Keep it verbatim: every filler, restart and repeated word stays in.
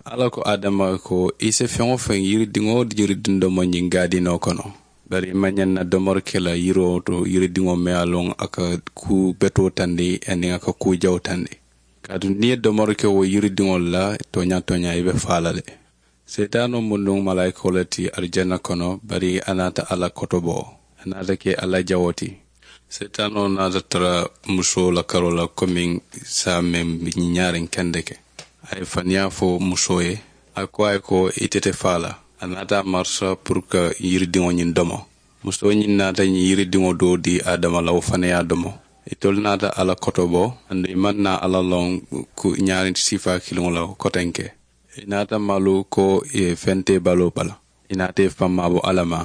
Alla ko adama ko, i si feŋ-wo-feŋ yiridiŋo, yiridindomo ñiŋ gaadinoo kono, bari i maŋ ñaŋ na domori ke la yiroo to, yiridiŋo meŋ ye a loŋ a ka kuu betoo tandi aniŋ a ka kuu jawoo tandi. Kaatu niŋ i ye domori ke wo yiridiŋolu la, tooñaa tooñaa i be faa la le. Seetaanoo mu nuŋ malaayikoo le ti arijana kono, bari a naata alla kotobo, a naata ke alla jawoo ti. Seetaanoo naata tara musoo la karoo la komiŋ saa meŋ ñiŋ ñaariŋ kendeke. A ye faniyaa fo musoo ye, a ko a ye ko, ite te faa la. A naata a marisa puru ka yiridiŋo ñiŋ domo. Musoo ñiŋ naata ñiŋ yiridiŋo doo dii adama la wo fanaŋ ye a domo. Itolu naata alla kotobo, aduŋ i maŋ naa alla loŋ ñaariŋ siifaa kiliŋo la kotenke. I naata malu ko i ye feŋ te baloo bala. I naata i faŋ maabo alla ma.